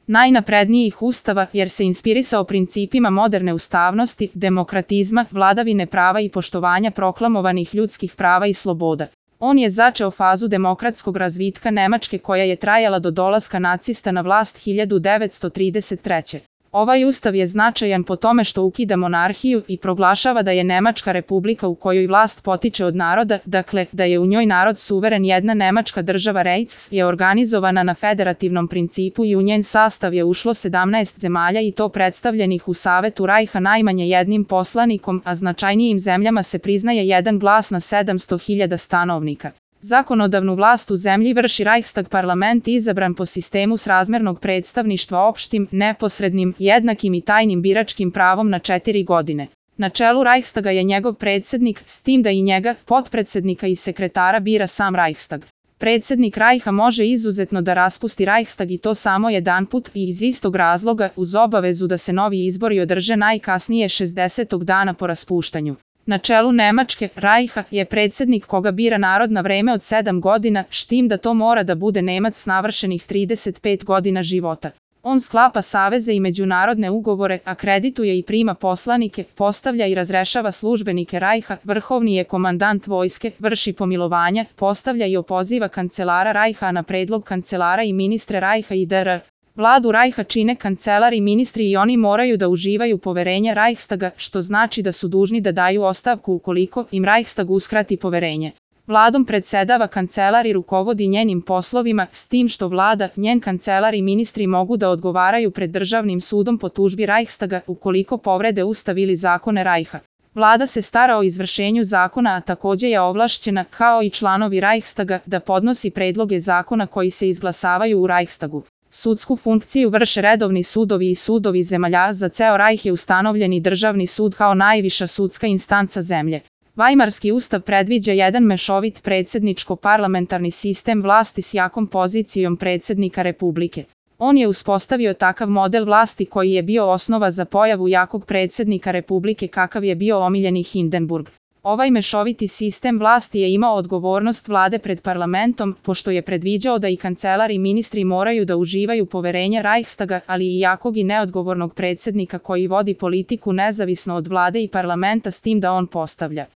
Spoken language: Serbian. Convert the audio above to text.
najnaprednijih ustava jer se inspirisao principima moderne ustavnosti, demokratizma, vladavine prava i poštovanja proklamovanih ljudskih prava i sloboda. On je začeo fazu demokratskog razvitka Nemačke koja je trajala do dolaska nacista na vlast 1933. Ovaj ustav je značajan po tome što ukida monarhiju i proglašava da je Nemačka republika u kojoj vlast potiče od naroda, dakle, da je u njoj narod suveren. Jedna Nemačka država Reichs je organizovana na federativnom principu i u njen sastav je ušlo 17 zemalja i to predstavljenih u Savetu Rajha najmanje jednim poslanikom, a značajnijim zemljama se priznaje jedan glas na 700.000 stanovnika. Zakonodavnu vlast u zemlji vrši Reichstag, parlament izabran po sistemu srazmernog predstavništva opštim, neposrednim, jednakim i tajnim biračkim pravom na 4 godine. Na čelu Reichstaga je njegov predsednik, s tim da i njega, potpredsednika i sekretara bira sam Reichstag. Predsednik Rajha može izuzetno da raspusti Reichstag i to samo jedanput i iz istog razloga uz obavezu da se novi izbori održe najkasnije 60. dana po raspuštanju. Na čelu Nemačke, Rajha, je predsednik koga bira narod na vreme od 7 godina, s tim da to mora da bude Nemac s navršenih 35 godina života. On sklapa saveze i međunarodne ugovore, akredituje i prima poslanike, postavlja i razrešava službenike Rajha, vrhovni je komandant vojske, vrši pomilovanja, postavlja i opoziva kancelara Rajha na predlog kancelara i ministre Rajha i dr. Vladu Rajha čine kancelar i ministri i oni moraju da uživaju poverenje Reichstaga, što znači da su dužni da daju ostavku ukoliko im Reichstag uskrati poverenje. Vladom predsedava kancelar i rukovodi njenim poslovima, s tim što vlada, njen kancelar i ministri mogu da odgovaraju pred državnim sudom po tužbi Reichstaga ukoliko povrede ustav ili zakone Rajha. Vlada se stara o izvršenju zakona, a takođe je ovlašćena, kao i članovi Reichstaga, da podnosi predloge zakona koji se izglasavaju u Reichstagu. Sudsku funkciju vrše redovni sudovi i sudovi zemalja. Za ceo Rajh je ustanovljeni državni sud kao najviša sudska instanca zemlje. Vajmarski ustav predviđa jedan mešovit predsedničko-parlamentarni sistem vlasti s jakom pozicijom predsednika Republike. On je uspostavio takav model vlasti koji je bio osnova za pojavu jakog predsednika Republike kakav je bio omiljeni Hindenburg. Ovaj mešoviti sistem vlasti je imao odgovornost vlade pred parlamentom, pošto je predviđao da i kancelar i ministri moraju da uživaju poverenje Reichstaga, ali i jakog i neodgovornog predsednika koji vodi politiku nezavisno od vlade i parlamenta, s tim da on postavlja